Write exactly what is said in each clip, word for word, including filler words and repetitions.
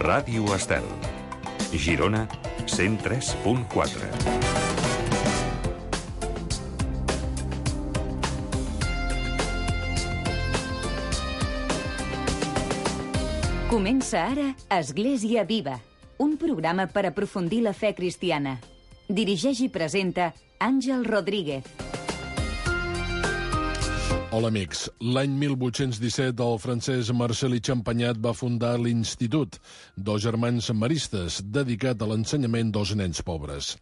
Ràdio Estel. Girona, cent tres punt quatre. Comença ara Església Viva, un programa per aprofundir la fe cristiana. Dirigeix i presenta Àngel Rodríguez. Hola, amics. L'any mil vuit-cents disset, el francès Marcel Champagnat va fundar l'Institut dels Germans Maristes, dedicat a l'ensenyament dels nens pobres.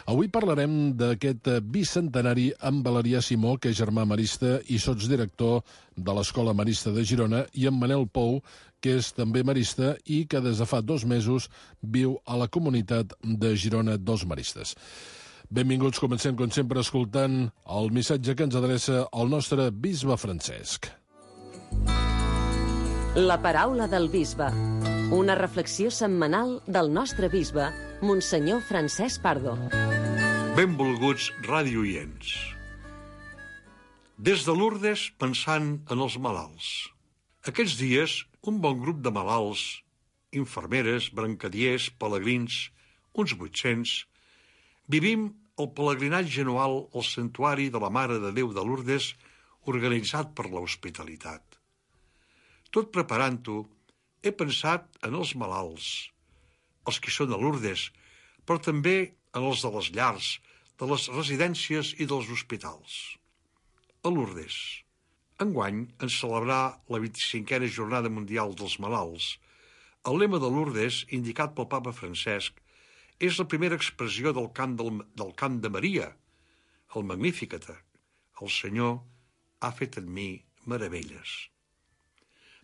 Avui parlarem d'aquest bicentenari amb Valerià Simó, que és germà marista i sotsdirector de l'Escola Marista de Girona, i amb Manel Pou, que és també marista i que des de fa dos mesos viu a la comunitat de Girona dels Maristes. Benvinguts, comencem com sempre escoltant el missatge que ens adreça el nostre bisbe Francesc. La paraula del bisbe. Una reflexió setmanal del nostre bisbe, Monsenyor Francesc Pardo. Benvolguts radioients. Des de Lourdes, pensant en els malalts. Aquests dies, un bon grup de malalts, infermeres, brancadiers, pelegrins, uns vuit-cents, vivim el pelegrinatge anual al Santuari de la Mare de Déu de Lourdes, organitzat per l'Hospitalitat. Tot preparant-ho, he pensat en els malalts, els que són a Lourdes, però també en els de les llars, de les residències i dels hospitals. A Lourdes, enguany, en celebrar la vint-i-cinquena Jornada Mundial dels Malalts, el lema de Lourdes, indicat pel papa Francesc, és la primera expressió del cant, del, del cant de Maria, el Magnificat. El Senyor ha fet en mi meravelles.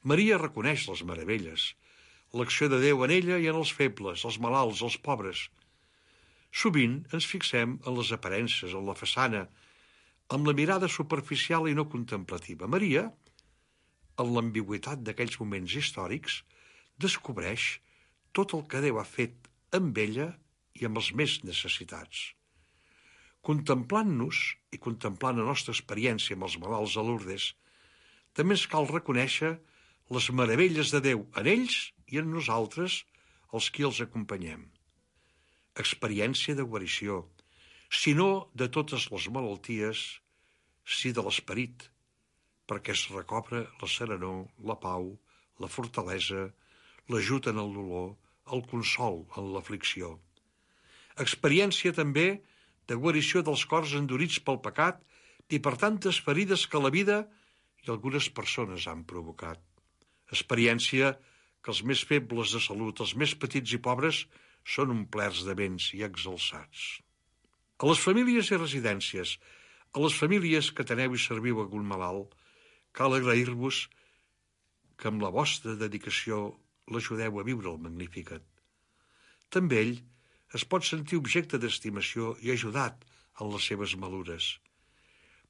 Maria reconeix les meravelles, l'acció de Déu en ella i en els febles, els malalts, els pobres. Sovint ens fixem en les aparences, en la façana, amb la mirada superficial i no contemplativa. Maria, en l'ambigüitat d'aquells moments històrics, descobreix tot el que Déu ha fet amb ella i amb els més necessitats. Contemplant-nos i contemplant la nostra experiència amb els malalts a Lourdes, també ens cal reconèixer les meravelles de Déu en ells i en nosaltres, els qui els acompanyem. Experiència de guarició, si no de totes les malalties, sí de l'esperit, perquè es recobra la serenor, la pau, la fortalesa, l'ajut en el dolor, el consol en l'aflicció. Experiència també de guarició dels cors endurits pel pecat i per tantes ferides que la vida i algunes persones han provocat. Experiència que els més febles de salut, els més petits i pobres, són omplerts de béns i exalçats. A les famílies i residències, a les famílies que teneu i serviu algun malalt, cal agrair-vos que amb la vostra dedicació l'ajudeu a viure el Magnificat. També ell es pot sentir objecte d'estimació i ajudat en les seves malures.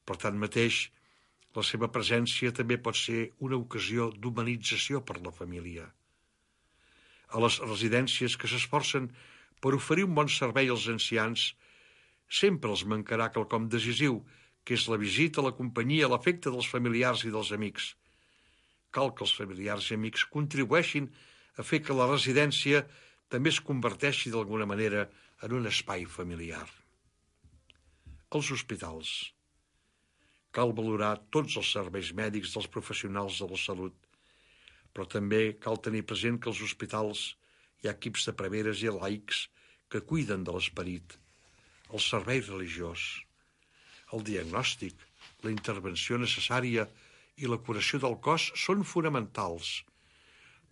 Per tant mateix, la seva presència també pot ser una ocasió d'humanització per la família. A les residències que s'esforcen per oferir un bon servei als ancians, sempre els mancarà quelcom decisiu, que és la visita, la companyia, l'afecte dels familiars i dels amics. Cal que els familiars i amics contribueixin a fer que la residència també es converteixi d'alguna manera en un espai familiar. Els hospitals. Cal valorar tots els serveis mèdics dels professionals de la salut, però també cal tenir present que als hospitals hi ha equips de preveres i laics que cuiden de l'esperit, el servei religiós, el diagnòstic, la intervenció necessària i la curació del cos són fonamentals,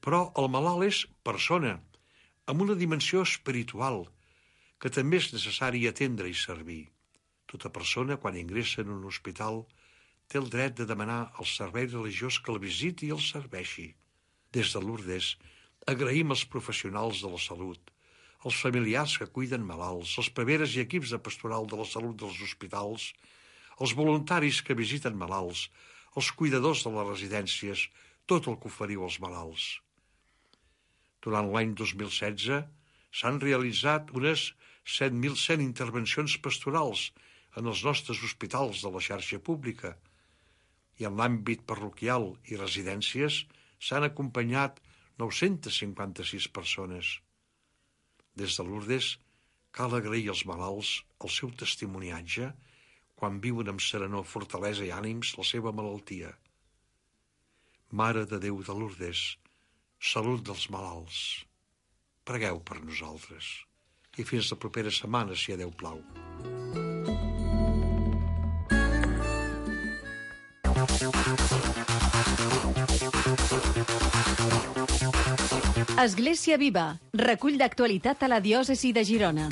però el malalt és persona, amb una dimensió espiritual, que també és necessari atendre i servir. Tota persona, quan ingressa en un hospital, té el dret de demanar al servei religiós que el visiti i el serveixi. Des de Lourdes, agraïm als professionals de la salut, als familiars que cuiden malalts, als preveres i equips de pastoral de la salut dels hospitals, als voluntaris que visiten malalts, als cuidadors de les residències, tot el que oferiu als malalts. Durant l'any dos mil setze s'han realitzat unes set mil cent intervencions pastorals en els nostres hospitals de la xarxa pública i en l'àmbit parroquial i residències s'han acompanyat nou-centes cinquanta-sis persones. Des de Lourdes cal agrair als malalts el seu testimoniatge quan viuen amb serenor, fortalesa i ànims la seva malaltia. Mare de Déu de Lourdes, salut dels malalts. Pregueu per nosaltres. I fins la propera setmana, si a Déu plau. Església Viva, recull d'actualitat a la diòcesi de Girona.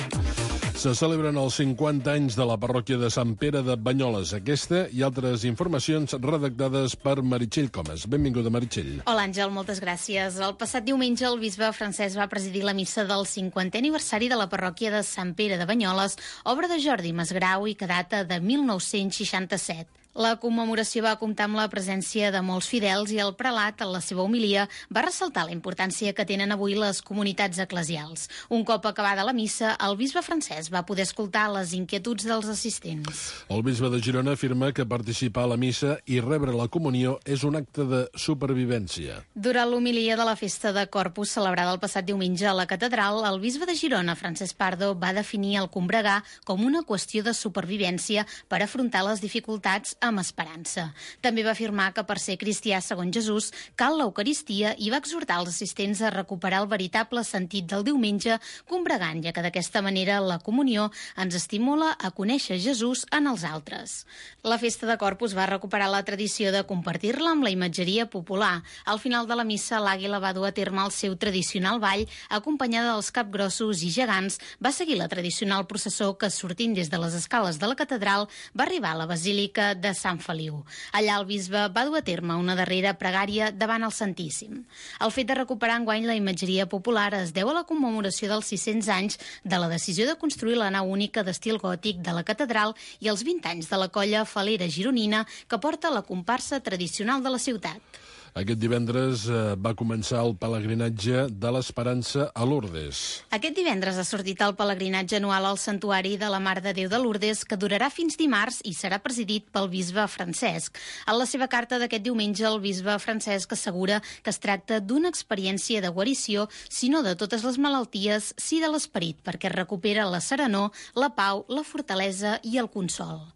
Se celebren els cinquanta anys de la parròquia de Sant Pere de Banyoles. Aquesta i altres informacions redactades per Meritxell Comas. Benvinguda, Meritxell. Hola, Àngel, moltes gràcies. El passat diumenge el bisbe Francesc va presidir la missa del cinquantè aniversari de la parròquia de Sant Pere de Banyoles, obra de Jordi Masgrau i que data de mil nou-cents seixanta-set. La commemoració va comptar amb la presència de molts fidels i el prelat, en la seva homilia, va ressaltar la importància que tenen avui les comunitats eclesials. Un cop acabada la missa, el bisbe Francesc va poder escoltar les inquietuds dels assistents. El bisbe de Girona afirma que participar a la missa i rebre la comunió és un acte de supervivència. Durant l'homilia de la festa de Corpus, celebrada el passat diumenge a la catedral, el bisbe de Girona, Francesc Pardo, va definir el combregar com una qüestió de supervivència per afrontar les dificultats amb esperança. També va afirmar que per ser cristià segons Jesús cal l'Eucaristia i va exhortar els assistents a recuperar el veritable sentit del diumenge combregant, ja que d'aquesta manera la comunió ens estimula a conèixer Jesús en els altres. La festa de Corpus va recuperar la tradició de compartir-la amb la imatgeria popular. Al final de la missa, l'àguila va dur a terme el seu tradicional ball, acompanyada dels capgrossos i gegants, va seguir la tradicional processó que, sortint des de les escales de la catedral, va arribar a la basílica de Sant Feliu. Allà el bisbe va dur a terme una darrera pregària davant el Santíssim. El fet de recuperar enguany la imatgeria popular es deu a la commemoració dels sis-cents anys de la decisió de construir la nau única d'estil gòtic de la catedral i els vint anys de la colla falera gironina que porta la comparsa tradicional de la ciutat. Aquest divendres eh, va començar el pelegrinatge de l'Esperança a Lourdes. Aquest divendres ha sortit el pelegrinatge anual al Santuari de la Mare de Déu de Lourdes, que durarà fins dimarts i serà presidit pel bisbe Francesc. En la seva carta d'aquest diumenge, el bisbe Francesc assegura que es tracta d'una experiència de guarició, si no de totes les malalties, sí de l'esperit, perquè recupera la serenor, la pau, la fortalesa i el consol.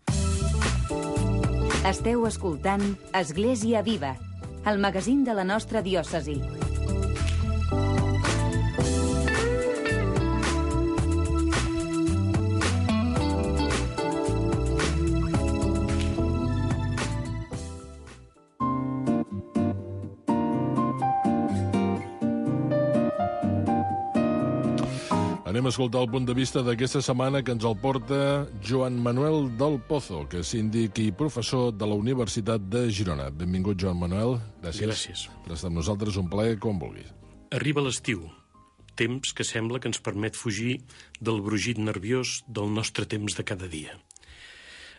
Esteu escoltant Església Viva, el magazín de la nostra diòcesi. Anem a escoltar el punt de vista d'aquesta setmana que ens el porta Joan Manuel del Pozo, que és síndic i professor de la Universitat de Girona. Benvingut, Joan Manuel. Gràcies. Gràcies. Per estar amb nosaltres, un plaer, com vulguis. Arriba l'estiu, temps que sembla que ens permet fugir del brugit nerviós del nostre temps de cada dia.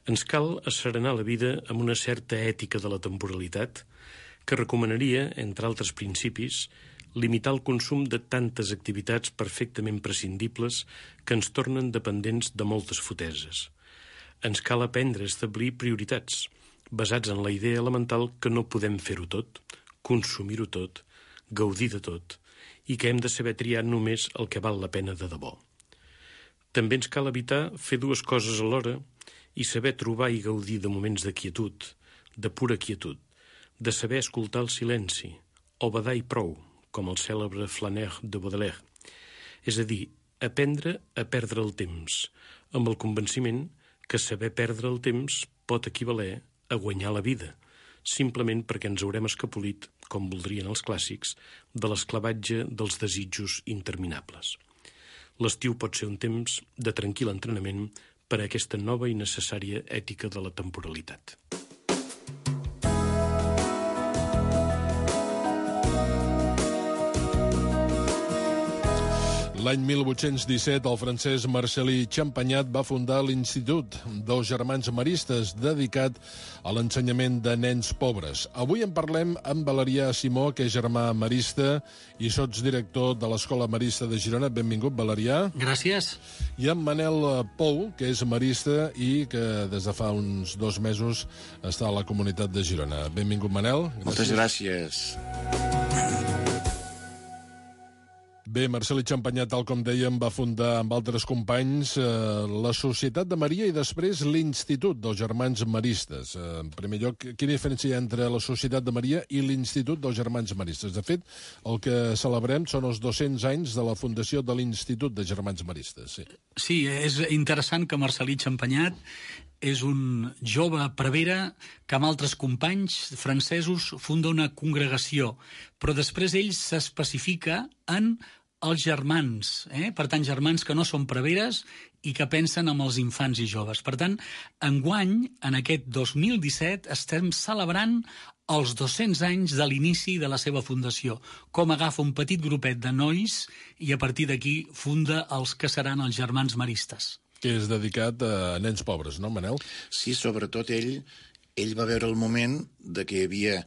Ens cal asserenar la vida amb una certa ètica de la temporalitat que recomanaria, entre altres principis, limitar el consum de tantes activitats perfectament prescindibles que ens tornen dependents de moltes foteses. Ens cal aprendre a establir prioritats, basats en la idea elemental que no podem fer-ho tot, consumir-ho tot, gaudir de tot, i que hem de saber triar només el que val la pena de debò. També ens cal evitar fer dues coses alhora i saber trobar i gaudir de moments de quietud, de pura quietud, de saber escoltar el silenci, o badar i prou, com el cèlebre Flaneur de Baudelaire. És a dir, aprendre a perdre el temps, amb el convenciment que saber perdre el temps pot equivaler a guanyar la vida, simplement perquè ens haurem escapolit, com voldrien els clàssics, de l'esclavatge dels desitjos interminables. L'estiu pot ser un temps de tranquil entrenament per a aquesta nova i necessària ètica de la temporalitat. L'any mil vuit-cents disset, el Francesc Marcel·lí Champagnat va fundar l'Institut dels Germans Maristes, dedicat a l'ensenyament de nens pobres. Avui en parlem amb Valerià Simó, que és germà marista i sotsdirector de l'Escola Marista de Girona. Benvingut, Valerià. Gràcies. I amb Manel Pou, que és marista i que des de fa uns dos mesos està a la comunitat de Girona. Benvingut, Manel. Gràcies. Moltes gràcies. Bé, Marcel Champagnat, tal com dèiem, va fundar amb altres companys eh, la Societat de Maria i després l'Institut dels Germans Maristes. Eh, en primer lloc, quina diferència hi ha entre la Societat de Maria i l'Institut dels Germans Maristes? De fet, el que celebrem són els dos-cents anys de la fundació de l'Institut de Germans Maristes. Sí, sí, és interessant que Marcelí Champagnat és un jove prevere que amb altres companys francesos funda una congregació, però després ell s'especifica en els germans, eh? Per tant, germans que no són preveres i que pensen en els infants i joves. Per tant, enguany, en aquest dos mil disset, estem celebrant els dos-cents anys de l'inici de la seva fundació, com agafa un petit grupet de nois i a partir d'aquí funda els que seran els Germans Maristes. Que és dedicat a nens pobres, no, Manel? Sí, sobretot ell, ell va veure el moment de que hi havia,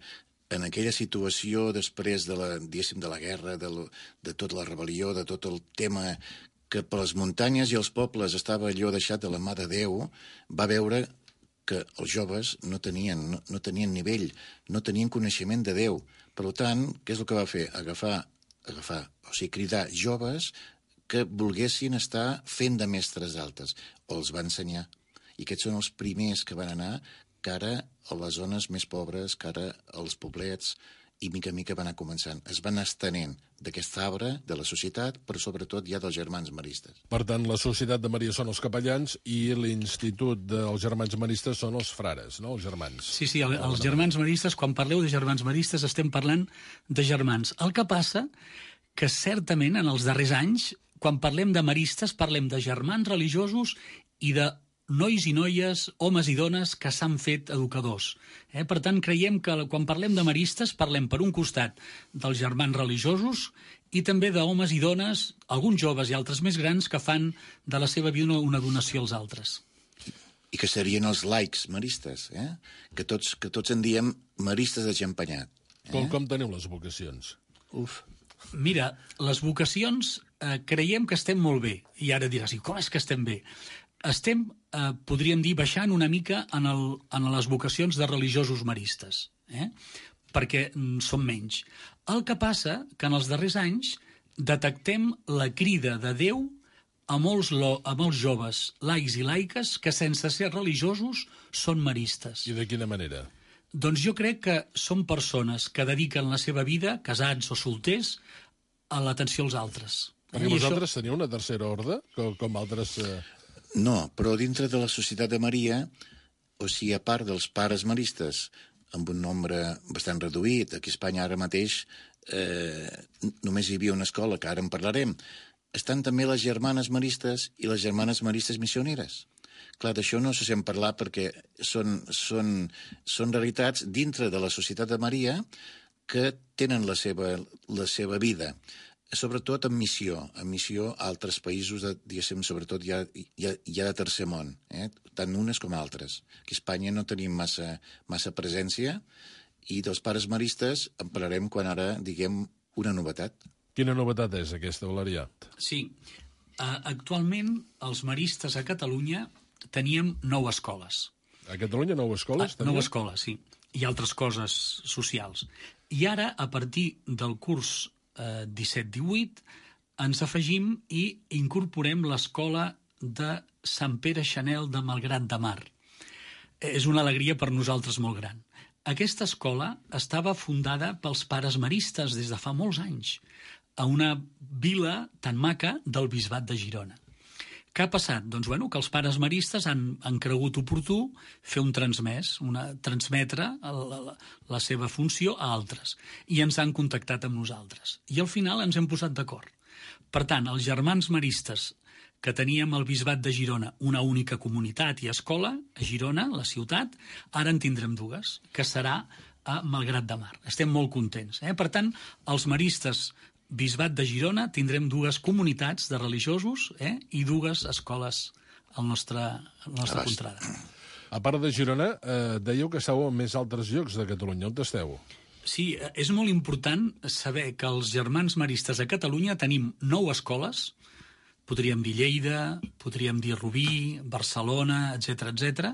en aquella situació després de la, diguéssim, de la guerra, de, lo, de tota la rebel·lió, de tot el tema que per les muntanyes i els pobles estava allò deixat de la mà de Déu, va veure que els joves no tenien, no, no tenien nivell, no tenien coneixement de Déu. Per tant, què és el que va fer? Agafar, agafar, o sigui, cridar joves que volguessin estar fent de mestres d'altes, o els va ensenyar. I aquests són els primers que van anar cara a les zones més pobres, cara als poblets, i mica a mica van anar començant. Es van estenent d'aquest arbre de la societat, però sobretot ja dels Germans Maristes. Per tant, la Societat de Maria són els capellans i l'Institut dels Germans Maristes són els frares, no?, els germans. Sí, sí, el, els Germans Maristes, quan parleu de Germans Maristes, estem parlant de germans. El que passa que certament en els darrers anys, quan parlem de maristes, parlem de germans religiosos i de nois i noies, homes i dones que s'han fet educadors. Eh? Per tant, creiem que quan parlem de maristes parlem per un costat dels germans religiosos i també d'homes i dones, alguns joves i altres més grans, que fan de la seva vida una, una donació als altres. I que serien els laics maristes, eh? que, tots, que tots en diem maristes de Champagnat. Eh? Com, com teniu les vocacions? Uf. Mira, les vocacions eh, creiem que estem molt bé. I ara diràs, i com és que estem bé? Estem, eh, podríem dir, baixant una mica en, el, en les vocacions de religiosos maristes, eh? perquè mm, són menys. El que passa que en els darrers anys detectem la crida de Déu a molts, lo, a molts joves laics i laiques que sense ser religiosos són maristes. I de quina manera? Doncs jo crec que són persones que dediquen la seva vida, casats o solters, a l'atenció als altres. Perquè I vosaltres això... teniu una tercera ordre, com, com altres... Eh... No, però dintre de la Societat de Maria, o sigui, a part dels pares maristes, amb un nombre bastant reduït, aquí a Espanya ara mateix eh, només hi havia una escola, que ara en parlarem, estan també les germanes maristes i les germanes maristes missioneres. Clar, d'això no se sent parlar perquè són, són, són realitats dintre de la Societat de Maria que tenen la seva, la seva vida, sobretot en missió, en missió a altres països, de, diguéssim, sobretot ja, ja, ja de tercer món, eh? tant unes com altres. Aquí a Espanya no tenim massa, massa presència i dels pares maristes en parlarem quan ara diguem una novetat. Quina novetat és aquesta, Valerià? Sí, uh, actualment els maristes a Catalunya teníem nou escoles. A Catalunya nou escoles? Ah, nou escoles, sí. I altres coses socials. I ara, a partir del curs eh, disset divuit, ens afegim i incorporem l'escola de Sant Pere Chanel de Malgrat de Mar. És una alegria per nosaltres molt gran. Aquesta escola estava fundada pels pares maristes des de fa molts anys, a una vila tan maca del Bisbat de Girona. Què ha passat? Doncs bueno, que els pares maristes han, han cregut oportú fer un transmès, una, transmetre la, la, la seva funció a altres, i ens han contactat amb nosaltres. I al final ens hem posat d'acord. Per tant, els germans maristes que teníem al Bisbat de Girona una única comunitat i escola, a Girona, la ciutat, ara en tindrem dues, que serà a Malgrat de Mar. Estem molt contents. Eh? Per tant, els maristes Bisbat de Girona tindrem dues comunitats de religiosos eh, i dues escoles al nostre, al nostre contrada. A part de Girona, eh, dèieu que esteu en més altres llocs de Catalunya. On esteu? Sí, és molt important saber que els germans maristes a Catalunya tenim nou escoles, podríem dir Lleida, podríem dir Rubí, Barcelona, etcètera, etcètera,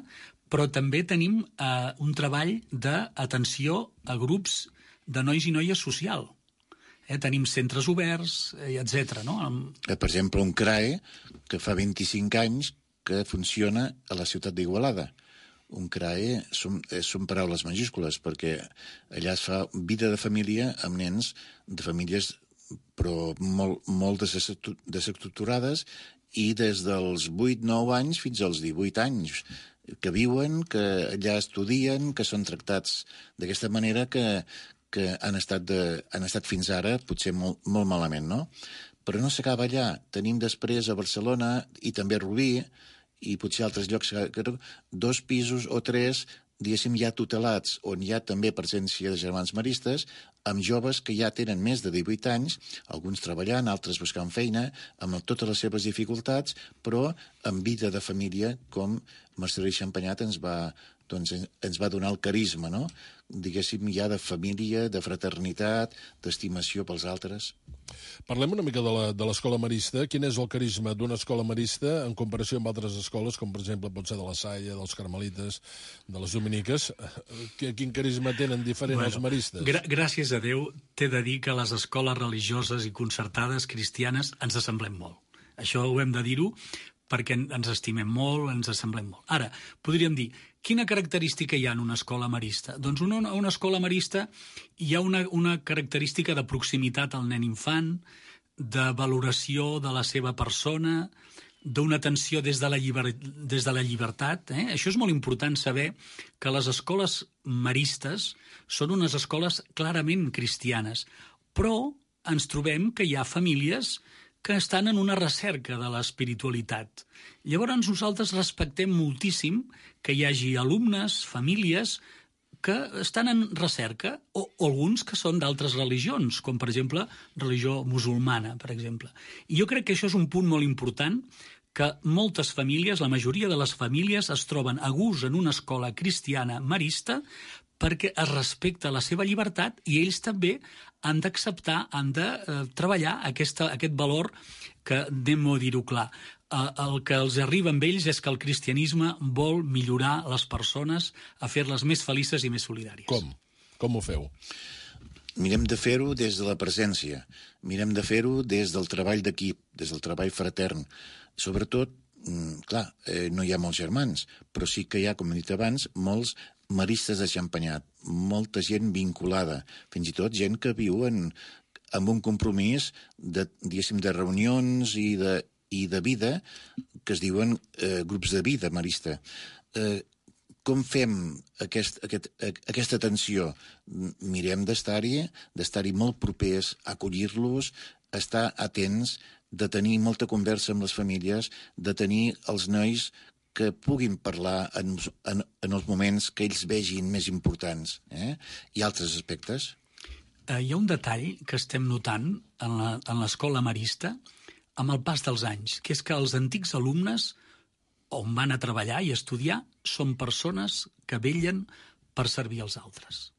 però també tenim eh, un treball d'atenció a grups de nois i noies social. Eh? Tenim centres oberts, eh, etcètera. No? Per exemple, un C R A E que fa vint-i-cinc anys que funciona a la ciutat d'Igualada. Un C R A E són, són paraules majúscules, perquè allà es fa vida de família amb nens de famílies però molt, molt desestructurades, i des dels vuit nou anys fins als divuit anys que viuen, que allà estudien, que són tractats d'aquesta manera, que, que han, estat de, han estat fins ara potser molt, molt malament, no? Però no s'acaba allà. Tenim després a Barcelona i també a Rubí, i potser altres llocs, dos pisos o tres, diguéssim, ja tutelats, on hi ha també presència de germans maristes, amb joves que ja tenen més de divuit anys, alguns treballant, altres buscant feina, amb totes les seves dificultats, però amb vida de família, com Marcel·lí Champagnat ens va, doncs, ens va donar el carisma, no? Diguéssim, ja de família, de fraternitat, d'estimació pels altres. Parlem una mica de l'escola marista. Quin és el carisma d'una escola marista en comparació amb altres escoles, com per exemple pot ser de la Salle, dels Carmelites, de les Dominiques? Quin carisma tenen diferent bueno, els maristes? Gra gràcies a Déu, t'he de dir que les escoles religioses i concertades cristianes ens assemblem molt. Això ho hem de dir-ho, perquè ens estimem molt, ens assemblem molt. Ara, podríem dir, quina característica hi ha en una escola marista? Doncs en una, una escola marista hi ha una, una característica de proximitat al nen infant, de valoració de la seva persona, d'una atenció des de la, lliber, des de la llibertat. Eh? Això és molt important saber que les escoles maristes són unes escoles clarament cristianes, però ens trobem que hi ha famílies que estan en una recerca de l'espiritualitat. Llavors nosaltres respectem moltíssim que hi hagi alumnes, famílies, que estan en recerca, o, o alguns que són d'altres religions, com per exemple religió musulmana, per exemple. I jo crec que això és un punt molt important, que moltes famílies, la majoria de les famílies, es troben a gust en una escola cristiana marista perquè es respecta la seva llibertat i ells també han d'acceptar, han de eh, treballar aquesta, aquest valor que, anem a dir-ho clar, eh, el que els arriba amb ells és que el cristianisme vol millorar les persones, a fer-les més felices i més solidàries. Com? Com ho feu? Mirem de fer-ho des de la presència, mirem de fer-ho des del treball d'equip, des del treball fratern. Sobretot, clar, eh, no hi ha molts germans, però sí que hi ha, com he dit abans, molts maristes de Champagnat, molta gent vinculada, fins i tot gent que viu en, amb un compromís de, diguéssim, de reunions i de, i de vida que es diuen eh, grups de vida marista. Eh, com fem aquest, aquest, aquesta atenció? Mirem d'estar-hi, d'estar-hi molt propers, acollir-los, estar atents, de tenir molta conversa amb les famílies, de tenir els nois que puguin parlar en, en, en els moments que ells vegin més importants. Eh? I altres aspectes? Eh, hi ha un detall que estem notant en l'escola marista amb el pas dels anys, que és que els antics alumnes on van a treballar i estudiar són persones que vellen per servir als altres.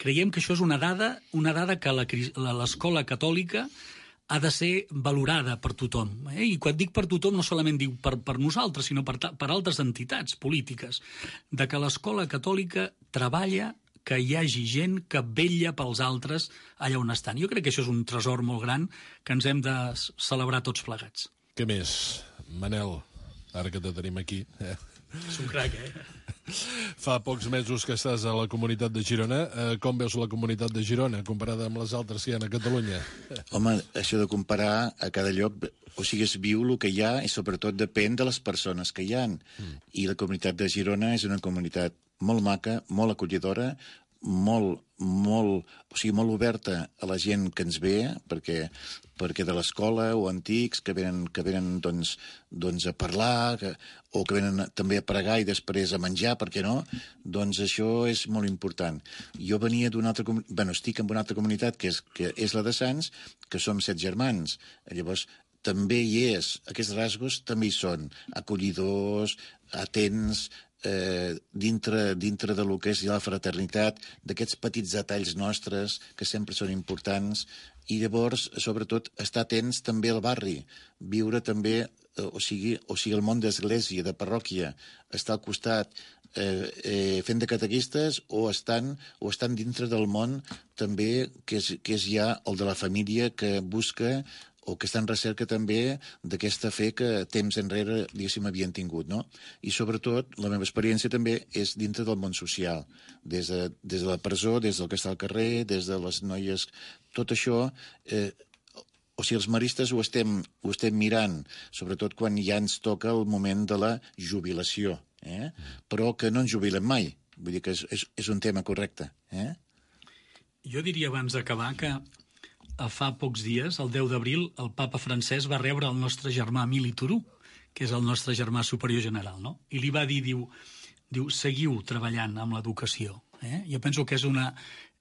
Creiem que això és una dada, una dada que l'escola catòlica ha de ser valorada per tothom. Eh? I quan dic per tothom no solament dic per, per nosaltres, sinó per, per altres entitats polítiques, de que l'escola catòlica treballa que hi hagi gent que vetlla pels altres allà on estan. Jo crec que això és un tresor molt gran que ens hem de celebrar tots plegats. Què més? Manel, ara que te tenim aquí. Eh? És un crac, eh? Fa pocs mesos que estàs a la comunitat de Girona. Eh, com veus la comunitat de Girona comparada amb les altres que hi ha a Catalunya? Home, això de comparar a cada lloc, o sigui, es viu el que hi ha i sobretot depèn de les persones que hi ha. Mm. I la comunitat de Girona és una comunitat molt maca, molt acollidora, molt, molt, o sigui, molt oberta a la gent que ens ve, perquè, perquè de l'escola o antics que venen, que venen doncs, doncs a parlar, que, o que venen també a pregar i després a menjar, per què no? Doncs això és molt important. Jo venia d'una altra comunitat, bueno, estic en una altra comunitat, que és, que és la de Sants, que som set germans. Llavors, també hi és, aquests rasgos també hi són, acollidors, atents, Eh, dintre, dintre de lo que és la fraternitat, d'aquests petits detalls nostres que sempre són importants, i llavors, sobretot, estar atents també al barri, viure també, eh, o sigui, o sigui el món d'església, de parròquia, estar al costat, eh, eh, fent de catequistes o estan, o estan dintre del món també que és, que és ja el de la família que busca o que està en recerca també d'aquesta fe que temps enrere, diguéssim, havien tingut, no? I sobretot, la meva experiència també és dintre del món social, des de, des de la presó, des del que està al carrer, des de les noies, tot això... Eh, o sigui, els maristes ho estem, ho estem mirant, sobretot quan ja ens toca el moment de la jubilació, eh? Però que no ens jubilem mai, vull dir que és, és, és un tema correcte, eh? Jo diria abans d'acabar que fa pocs dies, el deu d'abril, el papa francès va rebre el nostre germà Emili Turú, que és el nostre germà superior general, no? I li va dir, diu, diu seguiu treballant amb l'educació. Eh? Jo penso que és, una,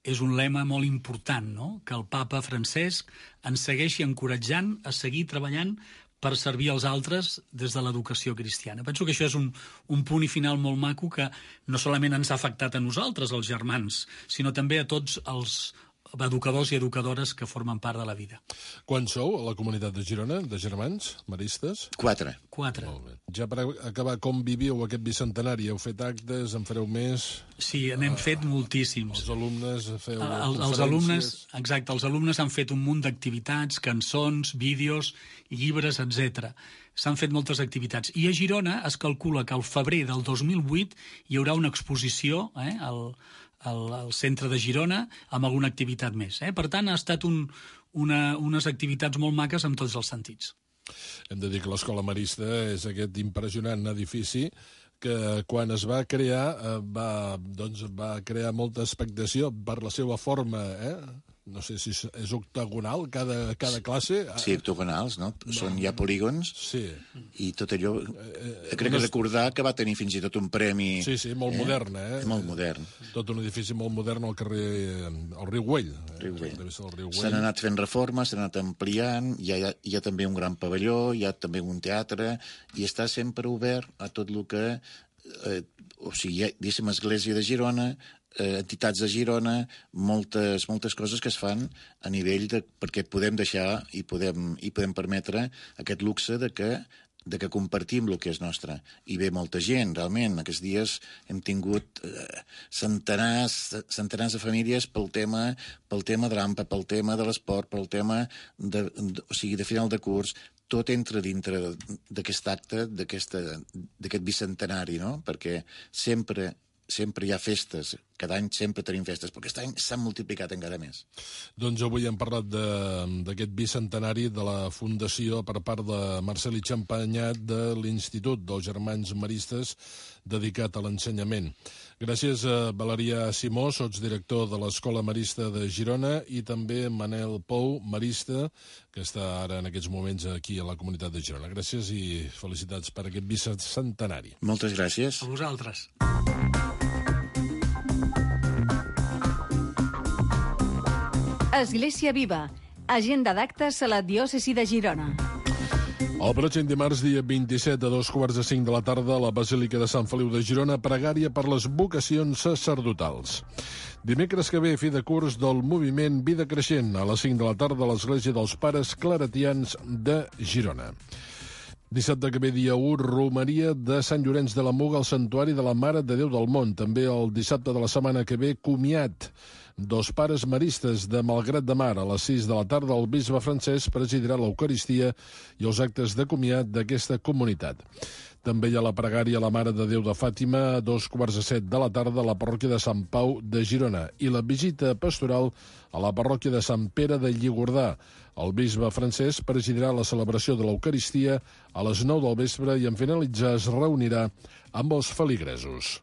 és un lema molt important, no? Que el papa Francesc ens segueixi encoratjant a seguir treballant per servir als altres des de l'educació cristiana. Penso que això és un, un punt i final molt maco que no solament ens ha afectat a nosaltres, els germans, sinó també a tots els educadors i educadores que formen part de la vida. Quan sou a la comunitat de Girona, de germans, maristes? Quatre. Quatre. Molt bé. Ja per acabar, com viviu aquest bicentenari? Heu fet actes, en fareu més? Sí, n'hem uh, fet moltíssims. Els alumnes feu el, conferències? Els alumnes, exacte, els alumnes han fet un munt d'activitats, cançons, vídeos, llibres, etcètera. S'han fet moltes activitats. I a Girona es calcula que al febrer del dos mil vuit hi haurà una exposició, eh, al al, al centre de Girona, amb alguna activitat més. Eh? Per tant, ha estat un, una, unes activitats molt maques en tots els sentits. Hem de dir que l'Escola Marista és aquest impressionant edifici que quan es va crear va, doncs, va crear molta expectació per la seva forma, eh? No sé si és octagonal cada, cada classe. Sí, octagonals, no? no. Són ja polígons. Sí. I tot allò... Eh, crec que recordar que va tenir fins i tot un premi... Sí, sí, molt eh? modern, eh? Molt modern. Tot un edifici molt modern al carrer... al riu Güell. Riu Güell. S'han anat fent reformes, s'han anat ampliant, hi ha, hi ha també un gran pavelló, hi ha també un teatre, i està sempre obert a tot el que... Eh, o sigui, hi ha, diguéssim, Església de Girona, eh, entitats de Girona, moltes, moltes coses que es fan a nivell de... perquè podem deixar i podem, i podem permetre aquest luxe de que, de que compartim el que és nostre. I ve molta gent, realment. Aquests dies hem tingut eh, centenars, centenars de famílies pel tema, pel tema de l'AMPA, pel tema de l'esport, pel tema de, de, o sigui, de final de curs. Tot entra dintre d'aquest acte, d'aquest bicentenari, no? Perquè sempre, sempre hi ha festes, cada any sempre tenim festes, però aquest any s'han multiplicat encara més. Doncs avui hem parlat d'aquest bicentenari de la Fundació per part de Marcel Champagnat de l'Institut dels Germans Maristes dedicat a l'ensenyament. Gràcies a Valeria Simó, sotsdirector de l'Escola Marista de Girona, i també Manel Pou, marista, que està ara en aquests moments aquí a la comunitat de Girona. Gràcies i felicitats per aquest bicentenari. Moltes gràcies. A vosaltres. Església Viva, agenda d'actes a la diòcesi de Girona. El pròxim dimarts, dia vint-i-set, a dos quarts de cinc de la tarda, a la Basílica de Sant Feliu de Girona, pregària per les vocacions sacerdotals. Dimecres que ve, fi de curs del moviment Vida Creixent, a les cinc de la tarda, a l'Església dels Pares Claretians de Girona. Dissabte que ve, dia u, romeria de Sant Llorenç de la Muga al Santuari de la Mare de Déu del Món. També el dissabte de la setmana que ve, comiat dos pares maristes de Malgrat de Mar. A les sis de la tarda, el bisbe Francesc presidirà l'Eucaristia i els actes de comiat d'aquesta comunitat. També hi ha la pregària a la Mare de Déu de Fàtima a dos quarts de set de la tarda a la parròquia de Sant Pau de Girona i la visita pastoral a la parròquia de Sant Pere de Lligordà. El bisbe Francesc presidirà la celebració de l'Eucaristia a les nou del vespre i en finalitzar es reunirà amb els feligresos.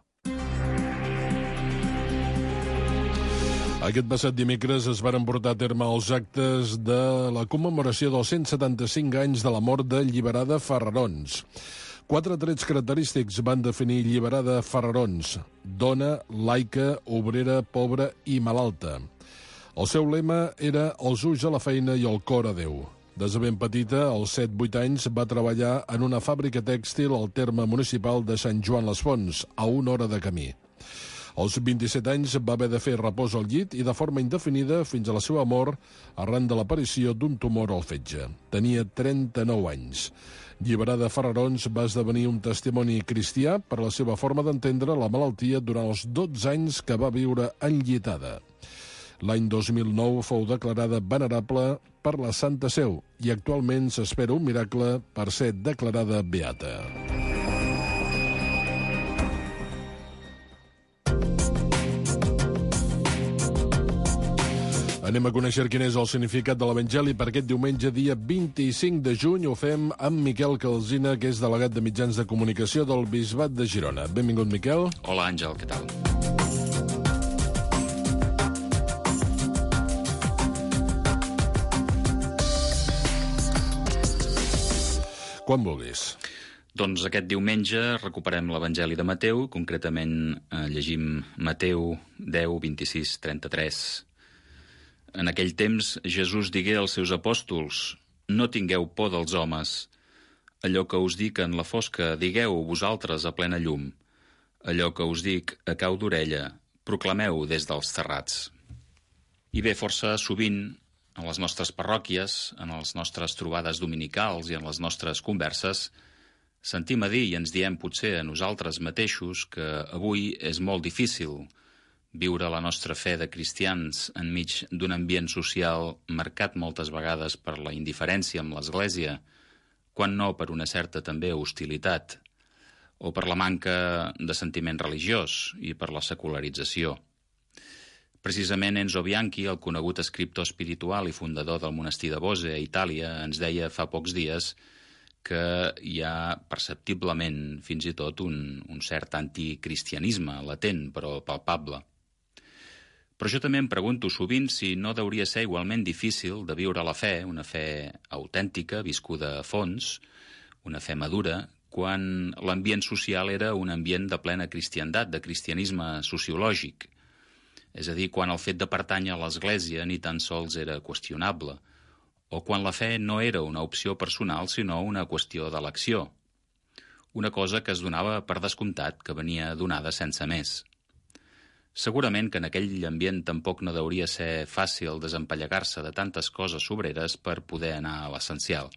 Aquest passat dimecres es varen portar a terme els actes de la commemoració dels cent setanta-cinc anys de la mort de Lliberada Ferrarons. Quatre trets característics van definir Lliberada Ferrarons: dona, laica, obrera, pobra i malalta. El seu lema era els ulls a la feina i el cor a Déu. Des de ben petita, als set vuit anys, va treballar en una fàbrica tèxtil al terme municipal de Sant Joan les Fonts, a una hora de camí. Als vint-i-set anys va haver de fer repòs al llit i de forma indefinida fins a la seva mort arran de l'aparició d'un tumor al fetge. Tenia trenta-nou anys. Lliberada de Farrarons, va esdevenir un testimoni cristià per la seva forma d'entendre la malaltia durant els dotze anys que va viure enllitada. L'any dos mil nou fou declarada venerable per la Santa Seu i actualment s'espera un miracle per ser declarada beata. Anem a conèixer quin és el significat de l'Evangeli per aquest diumenge, dia vint-i-cinc de juny. Ho fem amb Miquel Calsina, que és delegat de mitjans de comunicació del Bisbat de Girona. Benvingut, Miquel. Hola, Àngel, què tal? Quan vulguis. Doncs aquest diumenge recuperem l'Evangeli de Mateu, concretament eh, llegim Mateu deu, vint-i-sis, trenta-tres. En aquell temps Jesús digué als seus apòstols: «No tingueu por dels homes. Allò que us dic en la fosca, digueu vosaltres a plena llum. Allò que us dic a cau d'orella, proclameu des dels terrats». I bé, força sovint, en les nostres parròquies, en les nostres trobades dominicals i en les nostres converses, sentim a dir i ens diem potser a nosaltres mateixos que avui és molt difícil viure la nostra fe de cristians enmig d'un ambient social marcat moltes vegades per la indiferència amb l'Església, quan no per una certa també hostilitat, o per la manca de sentiment religiós i per la secularització. Precisament Enzo Bianchi, el conegut escriptor espiritual i fundador del monestir de Bose, a Itàlia, ens deia fa pocs dies que hi ha perceptiblement fins i tot un, un cert anticristianisme latent però palpable. Però jo també em pregunto sovint si no hauria ser igualment difícil de viure la fe, una fe autèntica, viscuda a fons, una fe madura, quan l'ambient social era un ambient de plena cristiandat, de cristianisme sociològic. És a dir, quan el fet de pertànyer a l'Església ni tan sols era qüestionable, o quan la fe no era una opció personal, sinó una qüestió d'elecció. Una cosa que es donava per descomptat, que venia donada sense més. Segurament que en aquell ambient tampoc no hauria ser fàcil desempallegar-se de tantes coses sobreres per poder anar a l'essencial.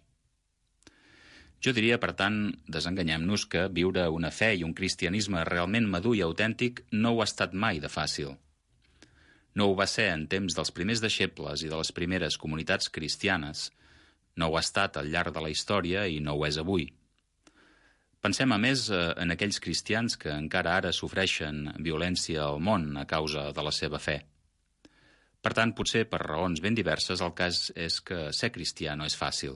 Jo diria, per tant, desenganyem-nos que viure una fe i un cristianisme realment madur i autèntic no ho ha estat mai de fàcil. No ho va ser en temps dels primers deixebles i de les primeres comunitats cristianes, no ho ha estat al llarg de la història i no ho és avui. Pensem, a més, en aquells cristians que encara ara sofreixen violència al món a causa de la seva fe. Per tant, potser per raons ben diverses, el cas és que ser cristià no és fàcil.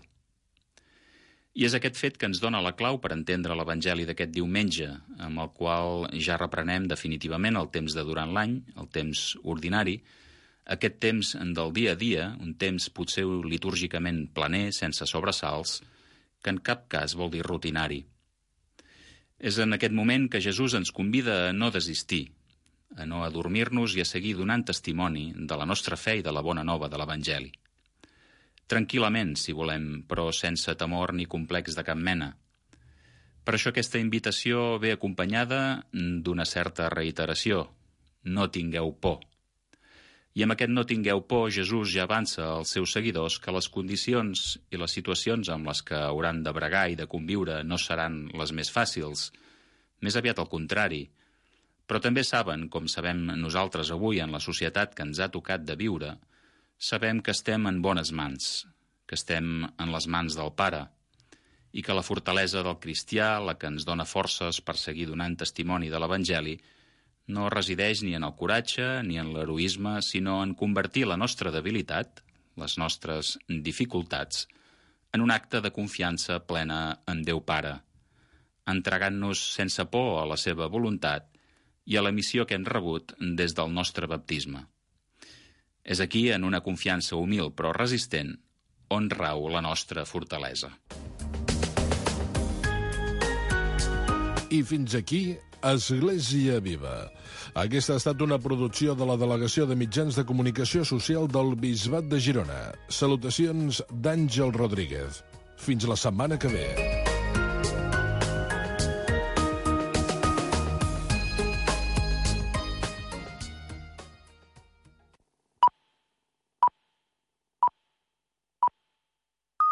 I és aquest fet que ens dona la clau per entendre l'Evangeli d'aquest diumenge, amb el qual ja reprenem definitivament el temps de durant l'any, el temps ordinari, aquest temps del dia a dia, un temps potser litúrgicament planer, sense sobresalts, que en cap cas vol dir rutinari. És en aquest moment que Jesús ens convida a no desistir, a no adormir-nos i a seguir donant testimoni de la nostra fe i de la bona nova de l'Evangeli. Tranquil·lament, si volem, però sense temor ni complex de cap mena. Per això aquesta invitació ve acompanyada d'una certa reiteració. No tingueu por. I amb aquest no tingueu por, Jesús ja avança als seus seguidors que les condicions i les situacions amb les que hauran de bregar i de conviure no seran les més fàcils, més aviat al contrari, però també saben, com sabem nosaltres avui en la societat que ens ha tocat de viure, sabem que estem en bones mans, que estem en les mans del Pare, i que la fortalesa del cristià, la que ens dona forces per seguir donant testimoni de l'Evangeli, no resideix ni en el coratge ni en l'heroisme, sinó en convertir la nostra debilitat, les nostres dificultats, en un acte de confiança plena en Déu Pare, entregant-nos sense por a la seva voluntat i a la missió que hem rebut des del nostre baptisme. És aquí, en una confiança humil però resistent, on rau la nostra fortalesa. I fins aquí, Església Viva. Aquesta ha estat una producció de la Delegació de Mitjans de Comunicació Social del Bisbat de Girona. Salutacions d'Àngel Rodríguez. Fins la setmana que ve.